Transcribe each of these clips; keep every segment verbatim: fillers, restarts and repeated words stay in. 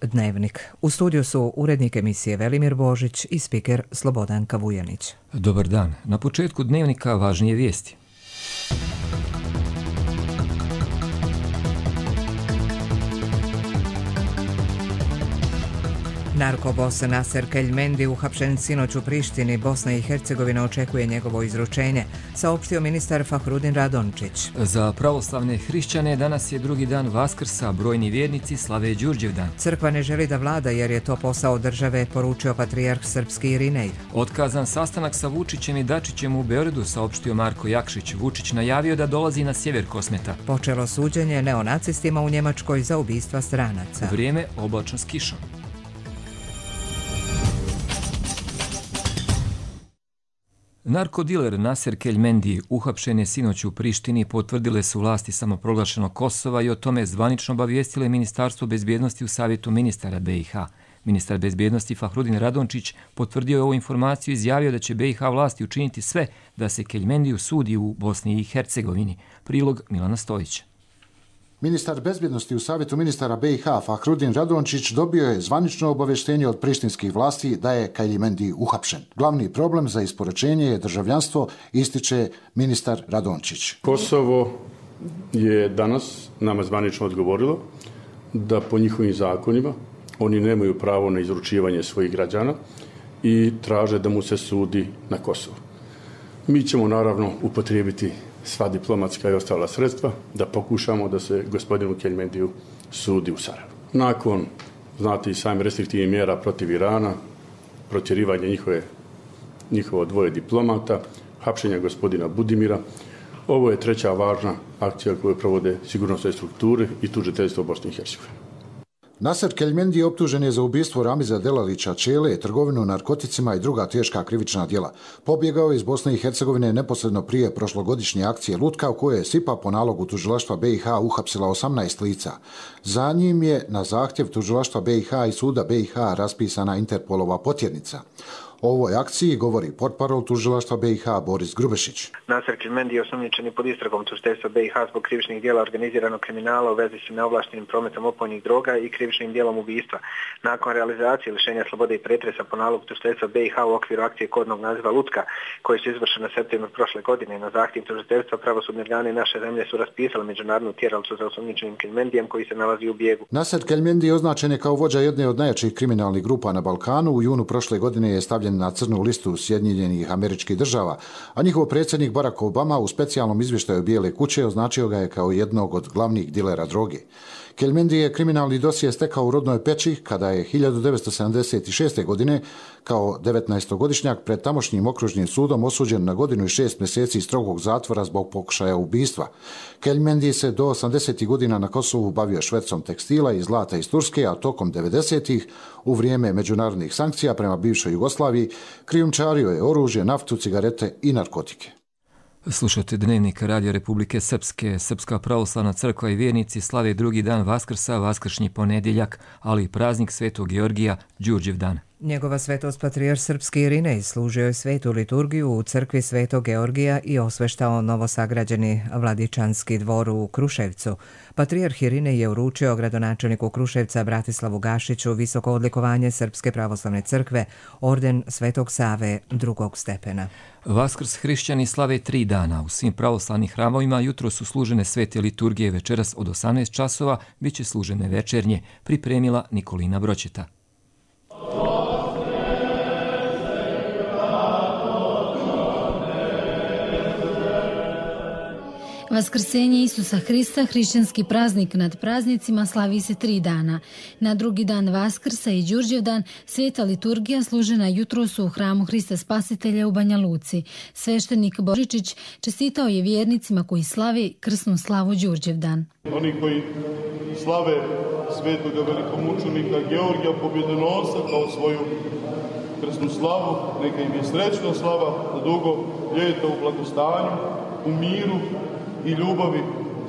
Dnevnik. U studiju su urednik emisije Velimir Božić i spiker Slobodanka Vujanić. Dobar dan. Na početku Dnevnika važnije vijesti. Narkobos Naser Keljmendi uhapšen sinoć u Prištini. Bosna i Hercegovina očekuje njegovo izručenje, saopštio ministar Fahrudin Radončić. Za pravoslavne hrišćane danas je drugi dan Vaskrsa, brojni vjernici slave Đurđevdan. Crkva ne želi da vlada jer je to posao države, poručio patrijarh srpski Irinej. Otkazan sastanak sa Vučićem i Dačićem u Beogradu, saopštio Marko Jakšić. Vučić najavio da dolazi na sjever Kosmeta. Počelo suđenje neonacistima u Njemačkoj za ubistva stranaca. Vrijeme oblačno s kišom. Narkodiler Naser Keljmendi uhapšen je sinoć u Prištini, potvrdile su vlasti samoproglašenog Kosova i o tome zvanično obavijestile Ministarstvo bezbjednosti u Savjetu ministara B i H. Ministar bezbjednosti Fahrudin Radončić potvrdio je ovu informaciju i izjavio da će B i H vlasti učiniti sve da se Keljmendiju sudi u Bosni i Hercegovini. Prilog Milana Stojića. Ministar bezbjednosti u Savjetu ministara B i H Fahrudin Radončić dobio je zvanično obavještenje od prištinskih vlasti da je Keljmendi uhapšen. Glavni problem za isporučenje je državljanstvo, ističe ministar Radončić. Kosovo je danas nama zvanično odgovorilo da po njihovim zakonima oni nemaju pravo na izručivanje svojih građana i traže da mu se sudi na Kosovu. Mi ćemo naravno upotrijebiti sva diplomatska i ostala sredstva da pokušamo da se gospodinu Keljmendiju sudi u Sarajevu. Nakon, znate i sami, restriktivnih mjera protiv Irana, protjerivanja njihove, njihovo dvoje diplomata, hapšenja gospodina Budimira, ovo je treća važna akcija koju provode sigurnosne strukture i tužiteljstvo Bosne i Hercegovine. Naser Keljmendi optužen je za ubistvo Ramiza Delalića Čele, trgovinu narkoticima i druga teška krivična djela. Pobjegao je iz Bosne i Hercegovine neposredno prije prošlogodišnje akcije Lutka, u kojoj je S I P A po nalogu tužilaštva B i H uhapsila osamnaest lica. Za njim je na zahtjev tužilaštva B i H i suda B i H raspisana Interpolova potjernica. O ovoj akciji govori portparol tužilaštva B i H Boris Grubešić. Naser Keljmendi je osumnjičen pod istragom tužiteljstva B i H zbog krivičnih djela organiziranog kriminala u vezi s neovlaštenim prometom opojnih droga i krivičnim djelom ubistva. Nakon realizacije lišenja slobode i pretresa po nalogu tužiteljstva B i H u okviru akcije kodnog naziva Lutka, koji su izvršene u septembru prošle godine, na zahtjev tužiteljstva pravosudni organi naše zemlje su raspisali međunarodnu tjeralicu za osumnjičenim Keljmendijem koji se nalazi u bijegu. Naser Keljmendi označen je kao vođa jedne od najjačih kriminalnih grupa na Balkanu. U junu prošle godine je stavljen na crnu listu Sjedinjenih Američkih Država, a njihov predsjednik Barack Obama u specijalnom izvještaju Bijele kuće označio ga je kao jednog od glavnih dilera droge. Keljmendi je kriminalni dosije stekao u rodnoj Peći kada je hiljadu devetsto sedamdeset šeste. godine kao devetnaestogodišnjak pred tamošnjim okružnim sudom osuđen na godinu i šest mjeseci strogog zatvora zbog pokušaja ubistva. Keljmendi se do osamdesetih godina na Kosovu bavio švercom tekstila i zlata iz Turske, a tokom devedesetih u vrijeme međunarodnih sankcija prema bivšoj Jugoslaviji krijumčario je oružje, naftu, cigarete i narkotike. Slušate Dnevnik Radio Republike Srpske. Srpska pravoslavna crkva i vjernici slave drugi dan Vaskrsa, vaskršnji ponedjeljak, ali i praznik Svetog Georgija, Đurđevdan. Njegova svetost patrijarh srpski Irinej služio je svetu liturgiju u crkvi Svetog Georgija i osveštao novosagrađeni Vladičanski dvor u Kruševcu. Patrijarh Irinej je uručio gradonačelniku Kruševca Bratislavu Gašiću visoko odlikovanje Srpske pravoslavne crkve, orden Svetog Save drugog stepena. Vaskrs hrišćani slave tri dana. U svim pravoslavnih hramovima jutro su služene svete liturgije, večeras od osamnaest časova bit će služene večernje, pripremila Nikolina Broćeta. Vaskrsenje Isusa Hrista, hrišćanski praznik nad praznicima, slavi se tri dana. Na drugi dan Vaskrsa i Đurđevdan sveta liturgija služena jutros u hramu Hrista Spasitelja u Banja Luci. Sveštenik Božičić čestitao je vjernicima koji slavi krsnu slavu Đurđevdan. Oni koji slave svetoga velikomučenika Georgija Pobjedonosca kao svoju krsnu slavu, neka im je srećna slava da dugo ljeto u blagostanju, u miru i ljubavi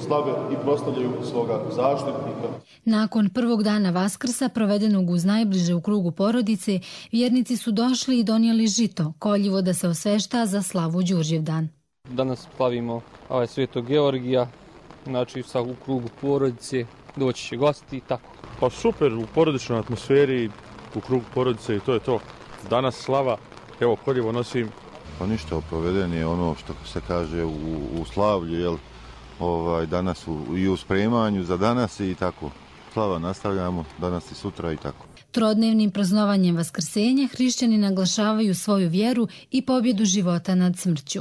slave i proslavljaju svoga zaštitnika. Nakon prvog dana Vaskrsa, provedenog uz najbliže u krugu porodice, vjernici su došli i donijeli žito, koljivo da se osvešta za slavu Đurđevdan. Danas slavimo ovaj Svetog Georgija, znači sa u krugu porodice, doći će gosti i tako. Pa super, u porodičnoj atmosferi, u krugu porodice i to je to. Danas slava, evo koljevo nosim. Pa ništa, proveden je ono što se kaže u, u slavlju, jel, ovaj, danas u, i u spremanju za danas i tako. Slava nastavljamo danas i sutra i tako. Trodnevnim praznovanjem Vaskrsenja hrišćani naglašavaju svoju vjeru i pobjedu života nad smrću.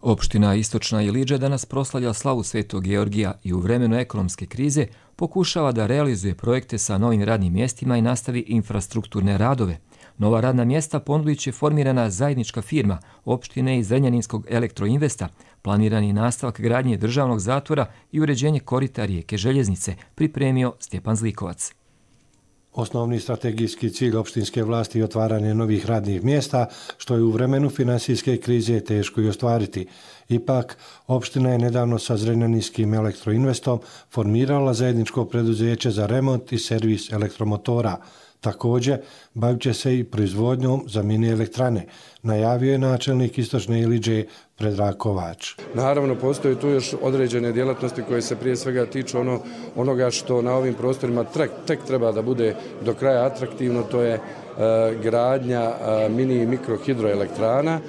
Opština Istočna Ilidža danas proslavlja slavu Svetog Georgija i u vremenu ekonomske krize pokušava da realizuje projekte sa novim radnim mjestima i nastavi infrastrukturne radove. Nova radna mjesta ponudit će formirana zajednička firma opštine i Zrenjaninskog elektroinvesta, planirani nastavak gradnje državnog zatvora i uređenje korita rijeke Željeznice, pripremio Stjepan Zlikovac. Osnovni strategijski cilj opštinske vlasti je otvaranje novih radnih mjesta, što je u vremenu finansijske krize teško i ostvariti. Ipak, opština je nedavno sa Zrenjaninskim elektroinvestom formirala zajedničko preduzeće za remont i servis elektromotora. Također, bavit će se i proizvodnjom za mini elektrane, najavio je načelnik Istočne Ilidže Predrag Kovač. Naravno, postoje tu još određene djelatnosti koje se prije svega tiču ono, onoga što na ovim prostorima tek, tek treba da bude do kraja atraktivno, to je e, gradnja e, mini i mikro hidroelektrana, e,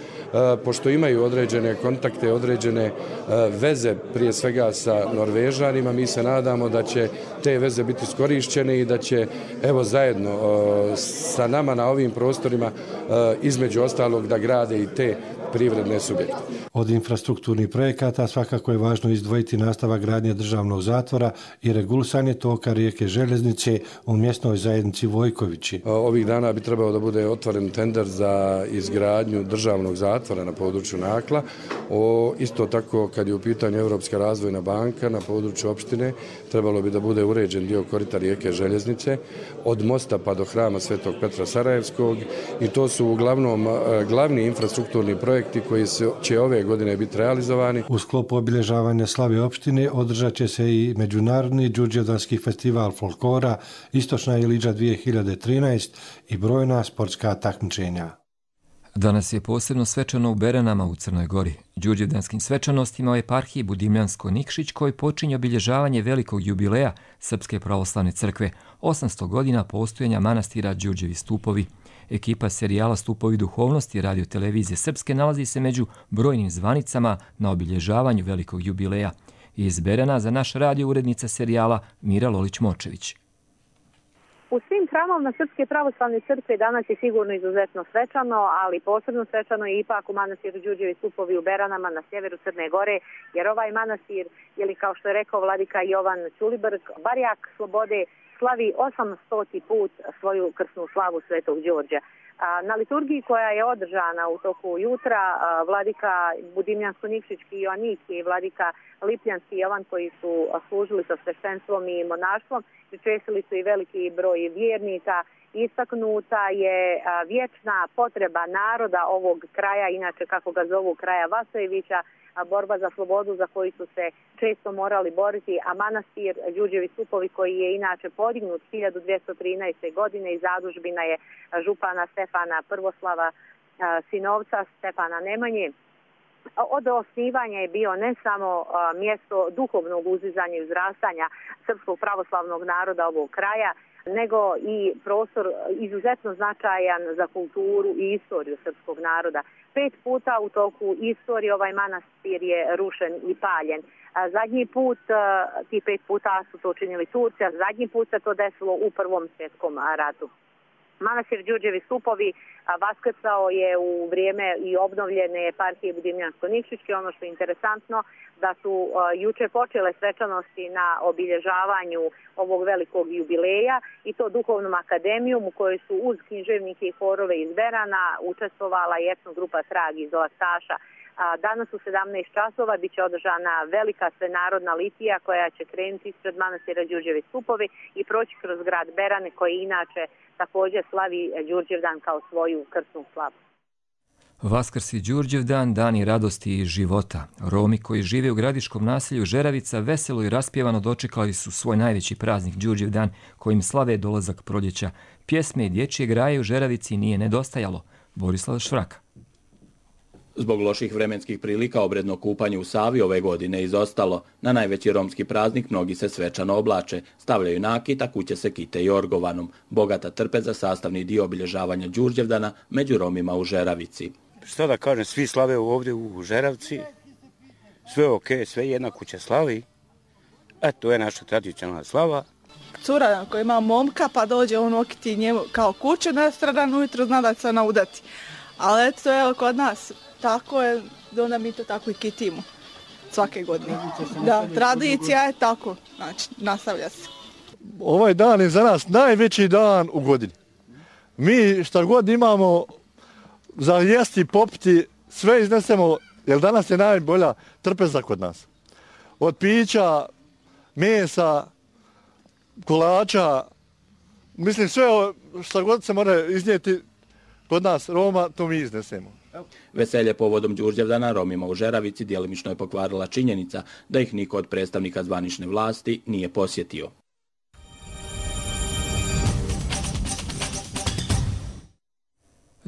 pošto imaju određene kontakte, određene e, veze prije svega sa Norvežanima, mi se nadamo da će te veze biti iskorišćene i da će evo zajedno e, sa nama na ovim prostorima e, između ostalog da grade i te privredne subjekte. Od infrastrukturnih projekata svakako je važno izdvojiti nastavak gradnje državnog zatvora i regulisanje toka rijeke Željeznice u mjesnoj zajednici Vojkovići. Ovih dana bi trebao da bude otvoren tender za izgradnju državnog zatvora na području Nakla. O, isto tako kad je u pitanju Europska razvojna banka na području opštine, trebalo bi da bude uređen dio korita rijeke Željeznice od mosta pa do hrama Svetog Petra Sarajevskog i to su uglavnom glavni infrastrukturni projekti koji će ove godine biti realizovani. U sklopu obilježavanja slave opštine održat će se i Međunarodni đurđevdanski festival folklora Istočna Ilidža dvije hiljade trinaest i brojna sportska takmičenja. Danas je posebno svečano u Beranama u Crnoj Gori. Đurđevdanskim svečanostima u eparhiji Budimljansko-Nikšić koji počinje obilježavanje velikog jubileja Srpske pravoslavne crkve, osamsto godina postojanja manastira Đurđevi stupovi. Ekipa serijala Stupovi duhovnosti Radio Televizije Srpske nalazi se među brojnim zvanicama na obilježavanju velikog jubileja. Iz Berana za naš radio urednica serijala Mira Lolić-Močević. U svim hramovima Srpske pravoslavne crkve danas je sigurno izuzetno svečano, ali posebno svečano je ipak u manastiru Đurđevi stupovi u Beranama na sjeveru Crne Gore, jer ovaj manastir, ili kao što je rekao vladika Jovan Ćulibrk, barjak slobode, slavi osamstoti put svoju krsnu slavu Svetog Đorđa. Na liturgiji koja je održana u toku jutra, vladika Budimljansko-Nikšićki Joaniki i vladika Lipljanski Jovan koji su služili sa sveštenstvom i monaštvom, pričestili su i veliki broj vjernika. Istaknuta je vječna potreba naroda ovog kraja, inače kako ga zovu kraja Vasojevića, borba za slobodu za koju su se često morali boriti, a manastir Đurđevi stupovi koji je inače podignut hiljadu dvjesto trinaeste. godine i zadužbina je župana Stefana Prvoslava, sinovca Stefana Nemanje. Od osnivanja je bio ne samo mjesto duhovnog uzizanja i uzrastanja srpskog pravoslavnog naroda ovog kraja, nego i prostor izuzetno značajan za kulturu i istoriju srpskog naroda. Pet puta u toku istorije ovaj manastir je rušen i paljen. Zadnji put, ti pet puta su to učinili Turci, a zadnji put se to desilo u Prvom svjetskom ratu. Manastir Đurđevi stupovi vaskrcao je u vrijeme i obnovljene eparhije Budimljansko-Nikšićke. Ono što je interesantno da su uh, juče počele svečanosti na obilježavanju ovog velikog jubileja i to duhovnom akademijom u kojoj su uz književnike i horove iz Berana učestvovala i etno grupa Trag iz Laktaša. Danas u sedamnaest časova biće održana velika svenarodna litija koja će krenuti ispred manastira Đurđevi stupovi i proći kroz grad Berane koji inače također slavi Đurđevdan kao svoju krsnu slavu. Vaskrs i Đurđevdan, dani radosti i života. Romi koji žive u gradiškom naselju Žeravica veselo i raspjevano dočekali su svoj najveći praznik Đurđevdan kojim slave dolazak proljeća. Pjesme i dječje graje u Žeravici nije nedostajalo. Borislav Švraka. Zbog loših vremenskih prilika obredno kupanje u Savi ove godine izostalo. Na najveći romski praznik mnogi se svečano oblače, stavljaju nakit, a kuće se kite i orgovanom. Bogata trpeza sastavni dio obilježavanja Đurđevdana među Romima u Žeravici. Što da kažem, svi slave ovdje u Žeravci, sve ok, sve jedna kuća slavi, a to je naša tradicionalna slava. Cura koja ima momka pa dođe on okiti njemu kao kuću nastradan, ujutro zna da će se ona udati. Ali eto, evo kod nas tako je, onda mi to tako i kitimo svake godine. Da, tradicija je tako, znači nastavlja se. Ovaj dan je za nas najveći dan u godini. Mi šta god imamo za jesti, popiti, sve iznesemo, jer danas je najbolja trpeza kod nas. Od pića, mesa, kolača, mislim sve šta god se mora iznijeti kod nas Roma, to mi iznesemo. Veselje povodom Đurđevdana Romima u Žeravici djelimično je pokvarila činjenica da ih niko od predstavnika zvanične vlasti nije posjetio.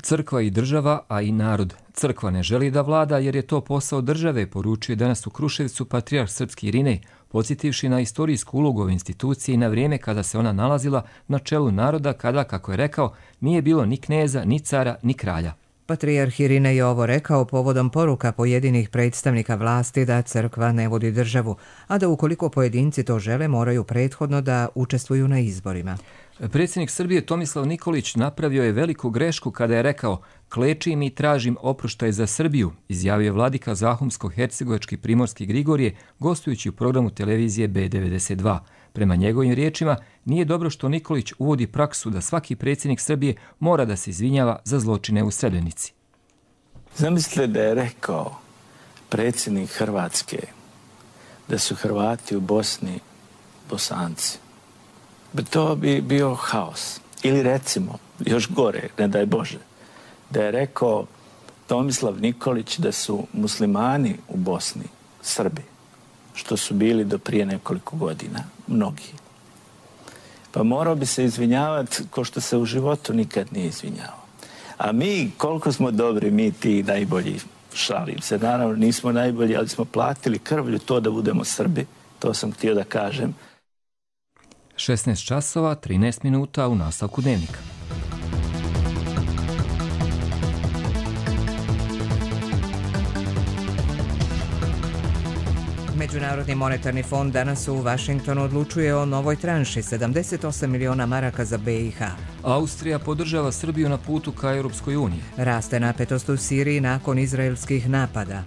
Crkva i država, a i narod. Crkva ne želi da vlada jer je to posao države, poručio je danas u Kruševcu patrijarh srpski Irinej, podsjetivši na istorijsku ulogu ove institucije i na vrijeme kada se ona nalazila na čelu naroda, kada, kako je rekao, nije bilo ni kneza, ni cara, ni kralja. Patrijarh Irinej je ovo rekao povodom poruka pojedinih predstavnika vlasti da crkva ne vodi državu, a da ukoliko pojedinci to žele moraju prethodno da učestvuju na izborima. Predsjednik Srbije Tomislav Nikolić napravio je veliku grešku kada je rekao "Klečim i tražim oproštaj za Srbiju", izjavio vladika Zahumsko-hercegovački primorski Grigorije gostujući u programu televizije B devedeset dva. Prema njegovim riječima, nije dobro što Nikolić uvodi praksu da svaki predsjednik Srbije mora da se izvinjava za zločine u Srebrenici. Zamislite da je rekao predsjednik Hrvatske da su Hrvati u Bosni Bosanci. To bi bio haos. Ili recimo, još gore, ne daj Bože, da je rekao Tomislav Nikolić da su muslimani u Bosni Srbi, što su bili do prije nekoliko godina, mnogi. Pa morao bi se izvinjavati ko što se u životu nikad nije izvinjavao. A mi, koliko smo dobri, mi ti najbolji, šalim se, naravno nismo najbolji, ali smo platili krvlju to da budemo Srbi, to sam htio da kažem. šesnaest časova, trinaest minuta u nastavku dnevnika. Međunarodni monetarni fond danas u Vašingtonu odlučuje o novoj tranši sedamdeset osam miliona maraka za B i H. Austrija podržava Srbiju na putu ka Europskoj uniji. Raste napetost u Siriji nakon izraelskih napada.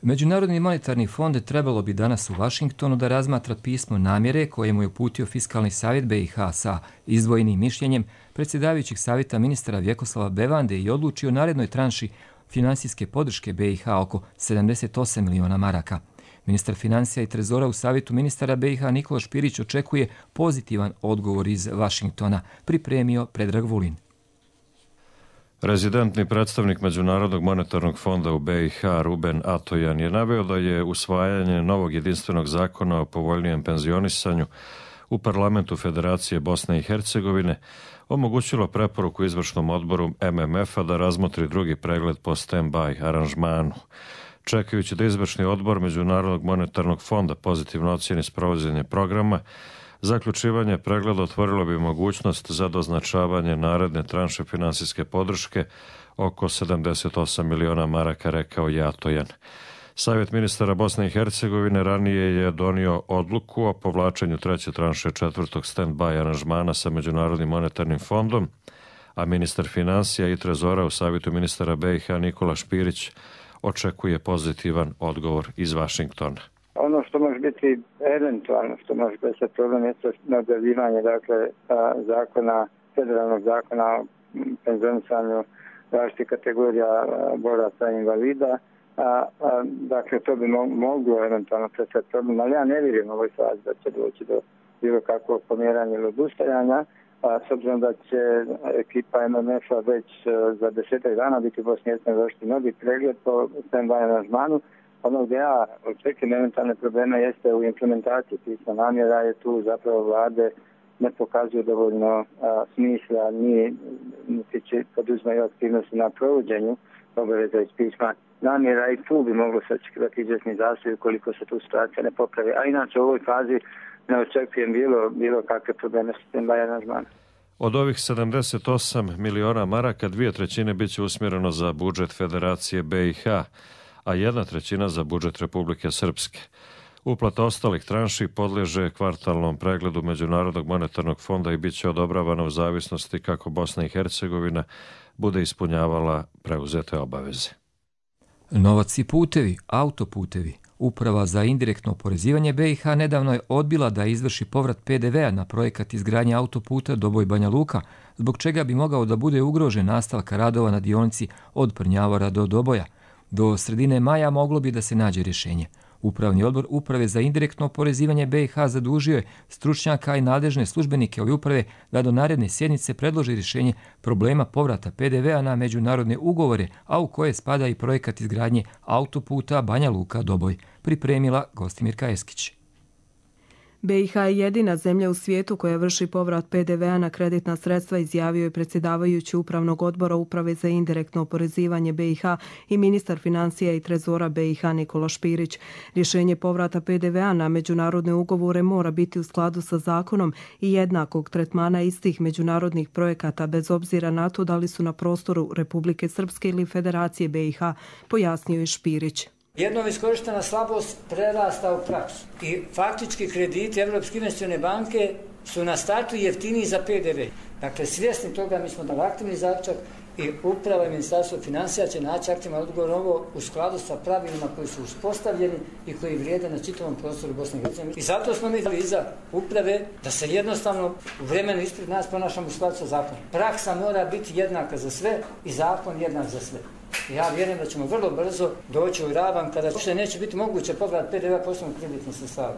Međunarodni monetarni fond trebalo bi danas u Vašingtonu da razmatra pismo namjere koje mu je uputio Fiskalni savjet B i H sa izdvojenim mišljenjem predsjedavajućeg savjeta ministra Vjekoslava Bevande i odlučio o narednoj tranši finansijske podrške B i H oko sedamdeset osam miliona maraka. Ministar financija i trezora u savjetu ministara B i H Nikola Špirić očekuje pozitivan odgovor iz Vašingtona, pripremio Predrag Vulin. Rezidentni predstavnik Međunarodnog monetarnog fonda u B i H Ruben Atojan je naveo da je usvajanje novog jedinstvenog zakona o povoljnijem penzionisanju u parlamentu Federacije Bosne i Hercegovine omogućilo preporuku izvršnom odboru M M F-a da razmotri drugi pregled po stand-by aranžmanu. Čekajući da izvršni odbor Međunarodnog monetarnog fonda pozitivno ocijeni sprovođenje programa, zaključivanje pregleda otvorilo bi mogućnost za doznačavanje naredne tranše finansijske podrške oko sedamdeset osam miliona maraka, rekao je Atojan. Savjet ministara Bosne i Hercegovine ranije je donio odluku o povlačenju treće tranše četvrtog stand-by aranžmana sa Međunarodnim monetarnim fondom, a ministar financija i trezora u savjetu ministara B i H Nikola Špirić očekuje pozitivan odgovor iz Vašingtona. Ono što može biti eventualno, što može biti problem, je na objavljivanje dakle, zakona, federalnog zakona o penzionisanju različitih kategorija boraca i invalida. A, a, dakle, to bi moglo eventualno predstaviti problem, ali ja ne vjerujem u ovoj fazi da će doći do bilo kakvog pomjeranja ili odustajanja, a s obzirom da će ekipa M M F-a već za desetak dana biti u Bosni i Hercegovini završiti novi pregled po stand-by aranžmanu. Ono gdje ja očekujem eventualne probleme jeste u implementaciji pisma namjera, je tu zapravo vlade ne pokazuju dovoljno a, smisla, ni, niti će poduzmaju aktivnosti na provođenju obaveza iz pisma namjera i tu bi moglo se očekivati izvjesni zastoj ukoliko se tu situacija ne popravi. A inače u ovoj fazi ne očekujem bilo, bilo kakve probleme s tim aranžmanom. Od ovih sedamdeset osam miliona maraka, dvije trećine bit će usmjereno za budžet Federacije B i H, a jedna trećina za budžet Republike Srpske. Uplata ostalih tranši podliježe kvartalnom pregledu Međunarodnog monetarnog fonda i bit će odobravana u zavisnosti kako Bosna i Hercegovina bude ispunjavala preuzete obaveze. Novac i putevi, autoputevi. Uprava za indirektno oporezivanje B i H nedavno je odbila da izvrši povrat P D V-a na projekat izgradnje autoputa Doboj-Banja Luka, zbog čega bi mogao da bude ugrožen nastavka radova na dionici od Prnjavora do Doboja. Do sredine maja moglo bi da se nađe rješenje. Upravni odbor Uprave za indirektno oporezivanje B i H zadužio je stručnjaka i nadležne službenike ove uprave da do naredne sjednice predloži rješenje problema povrata P D V-a na međunarodne ugovore, a u koje spada i projekat izgradnje autoputa Banja Luka-Doboj, pripremila Gostimirka Eskić. B i H je jedina zemlja u svijetu koja vrši povrat P D V-a na kreditna sredstva, izjavio je predsjedavajući Upravnog odbora Uprave za indirektno oporezivanje B i H i ministar financija i trezora B i H Nikola Špirić. Rješenje povrata P D V-a na međunarodne ugovore mora biti u skladu sa zakonom i jednakog tretmana istih međunarodnih projekata bez obzira na to da li su na prostoru Republike Srpske ili Federacije B i H, pojasnio je Špirić. Jednom iskorištena slabost prerasta u praksu i faktički krediti Evropske investicione banke su na startu jeftiniji za P D V. Dakle, svjesni toga mi smo dali aktivni zaključak i Uprava i Ministarstvo financija će naći aktivan odgovor ovo u skladu sa pravilima koji su uspostavljeni i koji vrijede na čitavom prostoru Bosne i Hercegovine. I zato smo mi dali iza Uprave da se jednostavno u vremenu ispred nas ponašamo u skladu sa zakonom. Praksa mora biti jednaka za sve i zakon jednak za sve. Ja vjerujem da ćemo vrlo brzo doći u ravan kada uopšte neće biti moguće povrat P D V-a poslovnog kreditnih sredstava.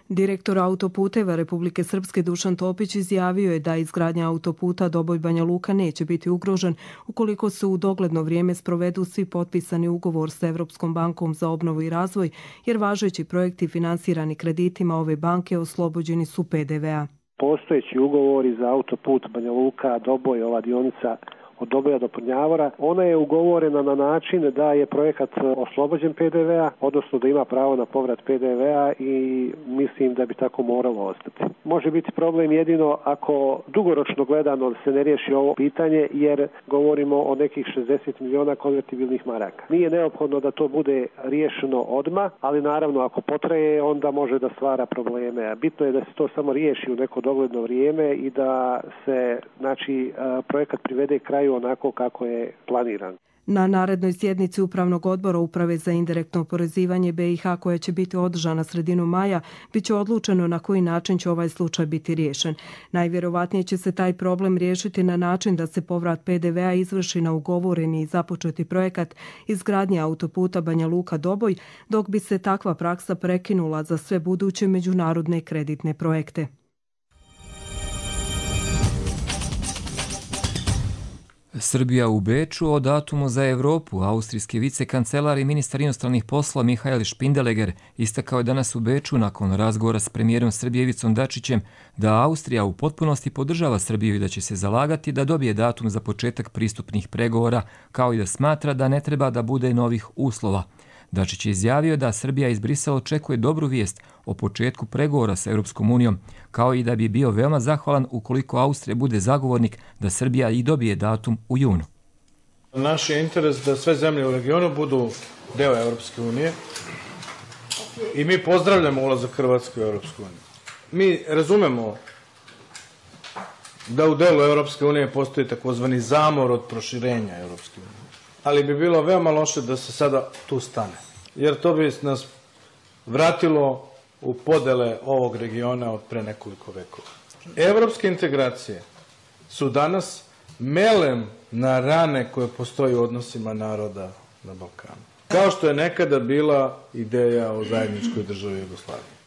Direktor autoputeva Republike Srpske Dušan Topić izjavio je da izgradnja autoputa Doboj-Banja Luka neće biti ugrožen ukoliko se u dogledno vrijeme sprovedu svi potpisani ugovor sa Evropskom bankom za obnovu i razvoj, jer važeći projekti finansirani kreditima ove banke oslobođeni su P D V-a. Postojeći ugovori za autoput Banja Luka, Doboj, ova dionica od Doboja do Prnjavora, ona je ugovorena na način da je projekat oslobođen P D V-a, odnosno da ima pravo na povrat P D V-a i mislim da bi tako moralo ostati. Može biti problem jedino ako dugoročno gledano se ne riješi ovo pitanje, jer govorimo o nekih šezdeset miliona konvertibilnih maraka. Nije neophodno da to bude riješeno odmah, ali naravno ako potraje onda može da stvara probleme. A bitno je da se to samo riješi u neko dogledno vrijeme i da se znači projekat privede kraju onako kako je planiran. Na narednoj sjednici Upravnog odbora Uprave za indirektno oporezivanje B i H, koja će biti održana sredinom maja, bit će odlučeno na koji način će ovaj slučaj biti riješen. Najvjerovatnije će se taj problem riješiti na način da se povrat P D V-a izvrši na ugovoreni i započeti projekat izgradnje autoputa Banja Luka-Doboj, dok bi se takva praksa prekinula za sve buduće međunarodne kreditne projekte. Srbija u Beču o datumu za Evropu. Austrijski vicekancelar i ministar inostranih poslova Mihael Špindeleger istakao je danas u Beču nakon razgovora s premijerom Srbije Ivicom Dačićem da Austrija u potpunosti podržava Srbiju i da će se zalagati da dobije datum za početak pristupnih pregovora, kao i da smatra da ne treba da bude novih uslova. Dačić je izjavio da Srbija iz Brisela očekuje dobru vijest o početku pregovora sa Europskom unijom, kao i da bi bio veoma zahvalan ukoliko Austrija bude zagovornik da Srbija i dobije datum u junu. Naš je interes da sve zemlje u regionu budu deo Europske unije i mi pozdravljamo ulazak Hrvatske u Europsku uniju. Mi razumemo da u delu Europske unije postoji takozvani zamor od proširenja Europske unije. Ali bi bilo veoma loše da se sada tu stane, jer to bi nas vratilo u podele ovog regiona od pre nekoliko vekova. Evropske integracije su danas melem na rane koje postoji u odnosima naroda na Balkanu. Kao što je nekada bila ideja o zajedničkoj državi Jugoslavije.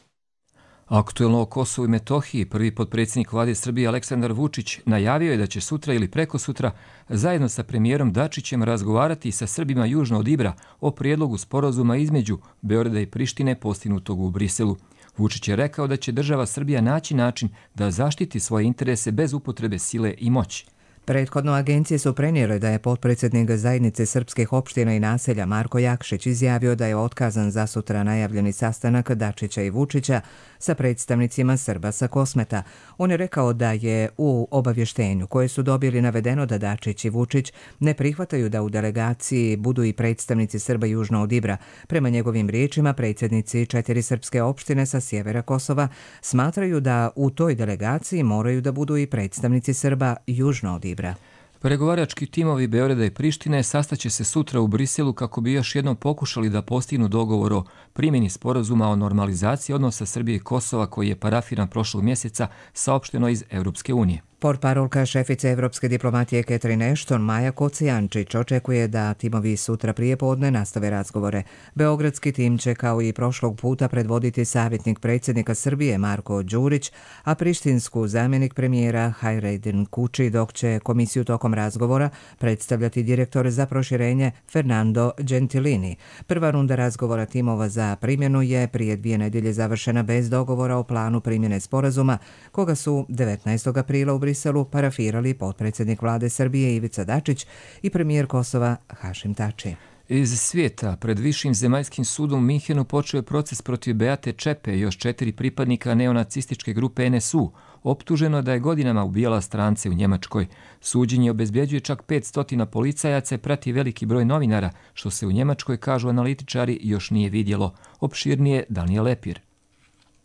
Aktuelno o Kosovu i Metohiji prvi potpredsjednik vlade Srbije Aleksandar Vučić najavio je da će sutra ili prekosutra zajedno sa premijerom Dačićem razgovarati sa Srbima južno od Ibra o prijedlogu sporazuma između Beograda i Prištine postignutog u Briselu. Vučić je rekao da će država Srbija naći način da zaštiti svoje interese bez upotrebe sile i moći. Prethodno agencije su prenijele da je potpredsjednik zajednice srpskih opština i naselja Marko Jakšić izjavio da je otkazan za sutra najavljeni sastanak Dačića i Vučića sa predstavnicima Srba sa Kosmeta. On je rekao da je u obavještenju koje su dobili navedeno da Dačić i Vučić ne prihvataju da u delegaciji budu i predstavnici Srba južno od Ibra. Prema njegovim riječima, predsjednici četiri srpske opštine sa sjevera Kosova smatraju da u toj delegaciji moraju da budu i predstavnici Srba južno od Ibra. Pregovarački timovi Beograda i Prištine sastaće se sutra u Briselu kako bi još jednom pokušali da postignu dogovor o primjeni sporazuma o normalizaciji odnosa Srbije i Kosova koji je parafiran prošlog mjeseca saopšteno iz Europske unije. Portparolka šefice evropske diplomatije Catherine Ashton, Maja Kocijančić, očekuje da timovi sutra prije podne nastave razgovore. Beogradski tim će kao i prošlog puta predvoditi savjetnik predsjednika Srbije Marko Đurić, a prištinsku zamjenik premijera Hajredin Kuči, dok će komisiju tokom razgovora predstavljati direktor za proširenje Fernando Gentilini. Prva runda razgovora timova za primjenu je prije dvije nedjelje završena bez dogovora o planu primjene sporazuma, koga su devetnaestog aprila u Briselu parafirali potpredsjednik vlade Srbije Ivica Dačić i premijer Kosova Hašim Tači. Iz svijeta, pred Višim zemaljskim sudom u Minhenu počeo je proces protiv Beate Čepe i još četiri pripadnika neonacističke grupe N S U. Optuženo je da je godinama ubijala strance u Njemačkoj. Suđenje obezbjeđuje čak petsto policajaca i prati veliki broj novinara, što se u Njemačkoj, kažu analitičari, još nije vidjelo. Opširnije Daniel Lepir.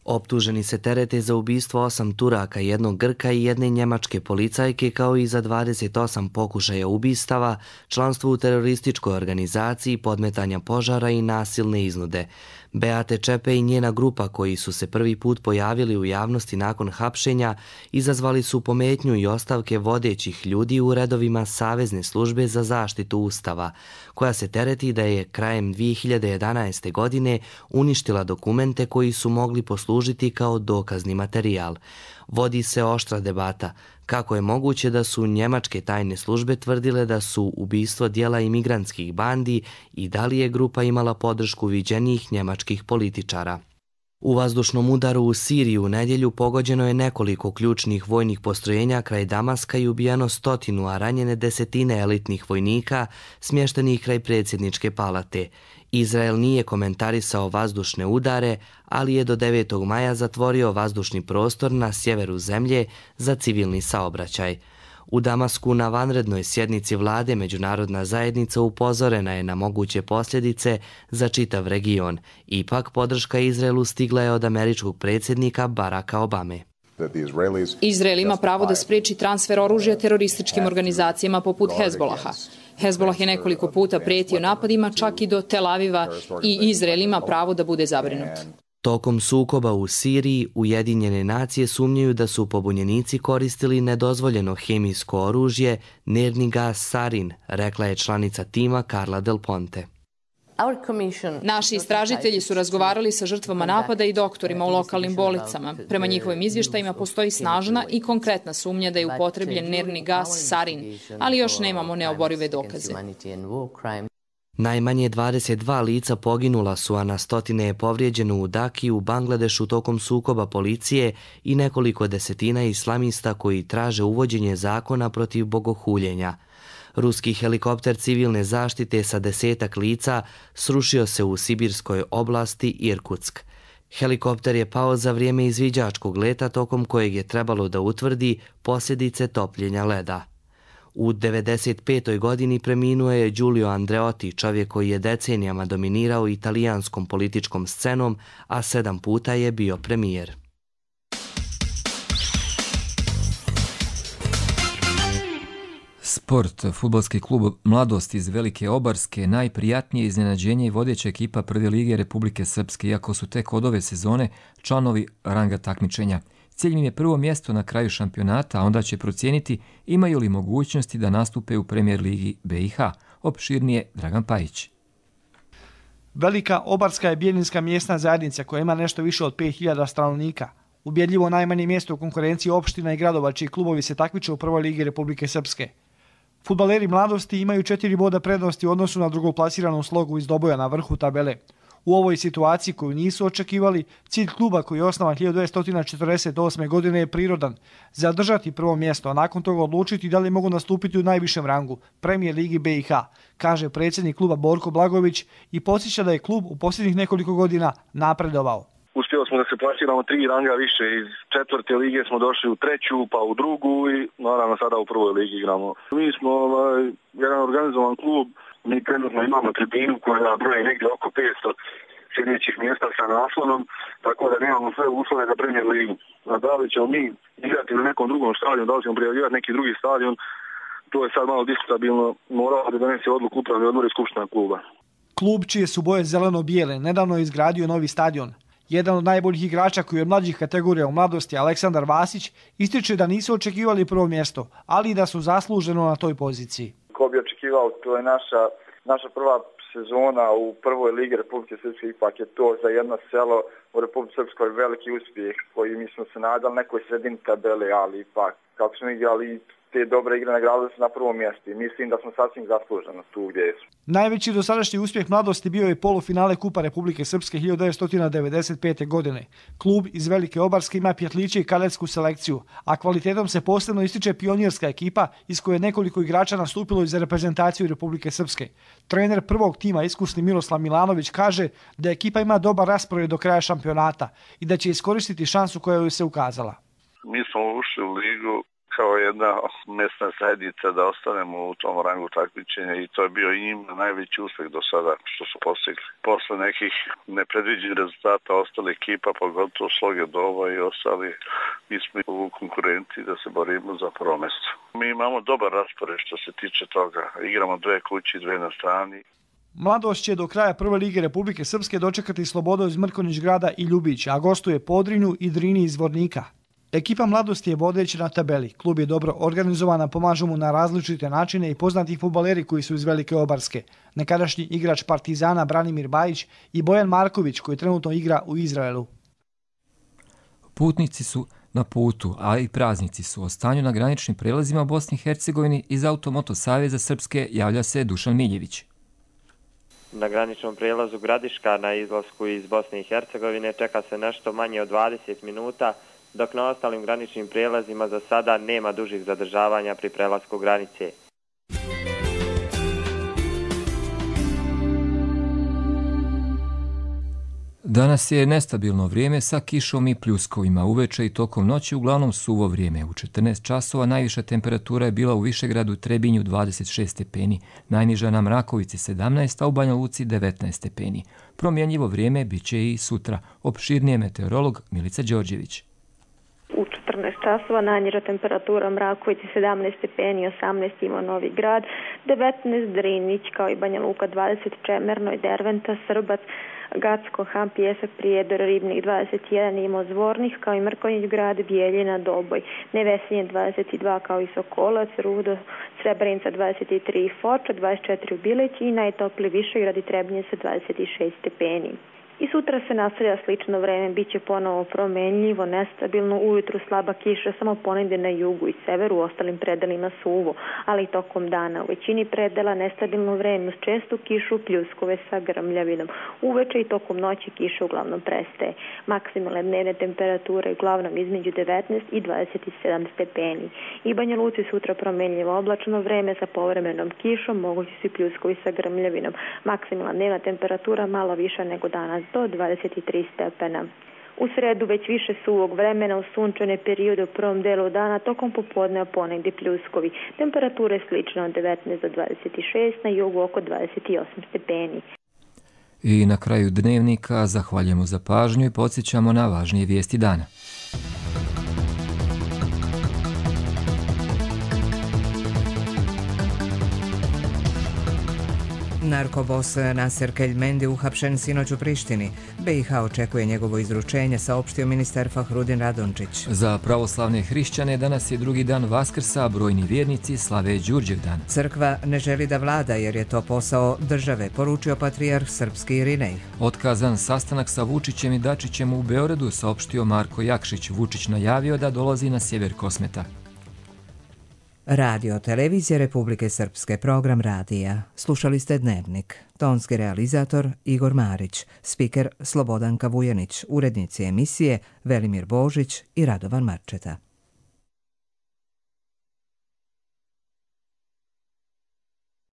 Optuženi se terete za ubistvo osam Turaka, jednog Grka i jedne njemačke policajke, kao i za dvadeset osam pokušaja ubistava, članstvo u terorističkoj organizaciji, podmetanja požara i nasilne iznude. Beate Čepe i njena grupa, koji su se prvi put pojavili u javnosti nakon hapšenja, izazvali su pometnju i ostavke vodećih ljudi u redovima Savezne službe za zaštitu Ustava, koja se tereti da je krajem dvije hiljade jedanaeste. godine uništila dokumente koji su mogli poslužiti kao dokazni materijal. Vodi se oštra debata kako je moguće da su njemačke tajne službe tvrdile da su ubistvo dijela imigrantskih bandi i da li je grupa imala podršku viđenijih njemačkih političara. U vazdušnom udaru u Siriji u nedjelju pogođeno je nekoliko ključnih vojnih postrojenja kraj Damaska i ubijeno stotinu, a ranjene desetine elitnih vojnika smještenih kraj predsjedničke palate. Izrael nije komentarisao vazdušne udare, ali je do devetog maja zatvorio vazdušni prostor na sjeveru zemlje za civilni saobraćaj. U Damasku na vanrednoj sjednici vlade međunarodna zajednica upozorena je na moguće posljedice za čitav region. Ipak podrška Izraelu stigla je od američkog predsjednika Baracka Obame. Izrael ima pravo da spriječi transfer oružja terorističkim organizacijama poput Hezbolaha. Hezbolah je nekoliko puta prijetio napadima čak i do Tel Aviva i Izrael ima pravo da bude zabrinut. Tokom sukoba u Siriji, Ujedinjene nacije sumnjaju da su pobunjenici koristili nedozvoljeno hemijsko oružje, nerni gas sarin, rekla je članica tima Carla Del Ponte. Naši istražitelji su razgovarali sa žrtvama napada i doktorima u lokalnim bolnicama. Prema njihovim izvještajima postoji snažna i konkretna sumnja da je upotrebljen nerni gas sarin, ali još nemamo neoborive dokaze. Najmanje dvadeset dva lica poginula su, a na stotine je povrijeđeno u Daki u Bangladešu tokom sukoba policije i nekoliko desetina islamista koji traže uvođenje zakona protiv bogohuljenja. Ruski helikopter civilne zaštite sa desetak lica srušio se u sibirskoj oblasti Irkutsk. Helikopter je pao za vrijeme izviđačkog leta tokom kojeg je trebalo da utvrdi posljedice topljenja leda. U devedeset petoj godini preminuo je Giulio Andreotti, čovjek koji je decenijama dominirao italijanskom političkom scenom, a sedam puta je bio premijer. Sport. Fudbalski klub Mladost iz Velike Obarske najprijatnije iznenađenje i vodeća ekipa Prve lige Republike Srpske, iako su tek od ove sezone članovi ranga takmičenja. Cilj im je prvo mjesto na kraju šampionata, a onda će procijeniti imaju li mogućnosti da nastupe u Premijer ligi B i H. Opširnije Dragan Pajić. Velika Obarska je bijeljinska mjesna zajednica koja ima nešto više od pet hiljada stanovnika. Ubjedljivo najmanje mjesto u konkurenciji opština i gradova čiji klubovi se takmiče u Prvoj ligi Republike Srpske. Fudbaleri Mladosti imaju četiri boda prednosti u odnosu na drugoplasiranu Slogu iz Doboja na vrhu tabele. U ovoj situaciji koju nisu očekivali, cilj kluba koji je osnovan hiljadu devetsto četrdeset osme. godine je prirodan. Zadržati prvo mjesto, a nakon toga odlučiti da li mogu nastupiti u najvišem rangu, Premijer Ligi B i H, kaže predsjednik kluba Borko Blagović i podsjeća da je klub u posljednjih nekoliko godina napredovao. Uspjeli smo da se plasiramo tri ranga više, iz četvrte lige smo došli u treću, pa u drugu i naravno sada u prvoj ligi igramo. Mi smo ovaj, jedan organizovan klub, mi trenutno imamo tribinu koja broji negdje oko petsto sljedećih mjesta sa naslonom, tako da nemamo sve uslove za Premier ligu. A da li ćemo mi igrati na nekom drugom stadionu, da li ćemo prijavljivati neki drugi stadion, to je sad malo diskutabilno, morao da donese odluku upravni odbor i skupština kluba. Klub čije su boje zeleno-bijele nedavno je izgradio novi stadion. Jedan od najboljih igrača koji je od mlađih kategorija u mladosti, Aleksandar Vasić, ističe da nisu očekivali prvo mjesto, ali i da su zasluženo na toj poziciji. Ko bi očekivao, to je naša, naša prva sezona u prvoj ligi Republike Srpske, ipak je to za jedno selo u Republike Srpskoj veliki uspjeh koji mi smo se nadali nekoj sredini tabele, ali ipak kako smo igrali te dobre igre nagradili su na prvom mjestu i mislim da smo sasvim zasluženo tu gdje su. Najveći dosadašnji uspjeh mladosti bio je polufinale Kupa Republike Srpske hiljadu devetsto devedeset pete. godine. Klub iz Velike Obarske ima pjetliće i kadetsku selekciju, a kvalitetom se posebno ističe pionirska ekipa iz koje je nekoliko igrača nastupilo iz reprezentaciju Republike Srpske. Trener prvog tima, iskusni Miroslav Milanović, kaže da ekipa ima dobar raspored do kraja šampionata i da će iskoristiti šansu koja joj se ukazala. Mi smo ušli u ligu kao jedna mjesna zajednica da ostanemo u tom rangu takmičenja i to je bio i njima najveći uspjeh do sada što su postigli. Posle nekih nepredviđenih rezultata ostali ekipa, pogotovo Sloge Doba i ostali, mi smo u konkurenciji da se borimo za prvo mjesto. Mi imamo dobar raspored što se tiče toga. Igramo dve kući, dve na strani. Mladost će do kraja prve lige Republike Srpske dočekati Slobodu iz Mrkonjić Grada i Ljubić, a gostuje Podrinju i Drini iz Vornika. Ekipa mladosti je vodeća na tabeli. Klub je dobro organizovana, pomažu mu na različite načine i poznati fudbaleri koji su iz Velike Obarske. Nekadašnji igrač Partizana Branimir Bajić i Bojan Marković koji trenutno igra u Izraelu. Putnici su na putu, a i praznici su. O stanju na graničnim prelazima u Bosni i Hercegovini iz Automoto Saveza Srpske javlja se Dušan Miljević. Na graničnom prijelazu Gradiška na izlasku iz Bosne i Hercegovine čeka se nešto manje od dvadeset minuta, dok na ostalim graničnim prijelazima za sada nema dužih zadržavanja pri prelasku granice. Danas je nestabilno vrijeme sa kišom i pljuskovima. Uveče i tokom noći uglavnom suvo vrijeme. U četrnaest časova najviša temperatura je bila u Višegradu Trebinju dvadeset šest stepeni, najniža na Mrakovici sedamnaest, a u Banja Luci devetnaest stepeni. Promjenjivo vrijeme bit će i sutra. Opširnije meteorolog Milica Đorđević. U četrnaest časova najniža temperatura Mrakovici sedamnaest stepeni, osamnaest ima Novi Grad, devetnaest Drinić kao i Banja Luka dvadeset, Čemerno i Derventa, Srbac, Gacko, Han, Pjesak, Prijedor, Ribnik dvadeset jedan, Imo Zvornik kao i Mrkonjić Grad, Bijeljina, Doboj, Nevesinje dvadeset dva kao i Sokolac, Rudo, Srebrenica dvadeset tri, Foča dvadeset četiri u Bileći i najtopliji Višegrad i Trebinje sa dvadeset šest stepeni. I sutra se nastavlja slično vreme, bit će ponovo promenljivo, nestabilno, ujutru slaba kiša, samo ponegdje na jugu i severu, u ostalim predelima suvo, ali i tokom dana. U većini predela nestabilno vreme uz čestu kišu, pljuskove sa grmljavinom. Uveče i tokom noći kiša uglavnom prestaje. Maksimalne dnevne temperature uglavnom između devetnaest i dvadeset sedam stepeni. I Banja Luci sutra promenljivo oblačno vreme sa povremenom kišom, mogući su i pljuskovi sa grmljavinom. Maksimalna dnevna temperatura malo više nego danas, do dvadeset tri stepena. U sredu već više suvog vremena u sunčane periode u prvom delu dana, tokom popodneva ponegdje pljuskovi. Temperature slično od devetnaest do dvadeset šest, na jugu oko dvadeset osam stepeni. I na kraju dnevnika zahvaljujemo za pažnju i podsjećamo na važnije vijesti dana. Narkobos Naser Keljmendi uhapšen sinoć u Prištini. B i H očekuje njegovo izručenje, saopštio ministar Fahrudin Radončić. Za pravoslavne hrišćane danas je drugi dan Vaskrsa, a brojni vjernici slave Đurđevdan. Crkva ne želi da vlada jer je to posao države, poručio patrijarh srpski Irinej. Otkazan sastanak sa Vučićem i Dačićem u Beogradu, saopštio Marko Jakšić. Vučić najavio da dolazi na sjever Kosmeta. Radio Televizije Republike Srpske, program radija. Slušali ste Dnevnik. Tonski realizator Igor Marić, spiker Slobodanka Vujanić, urednici emisije Velimir Božić i Radovan Marčeta.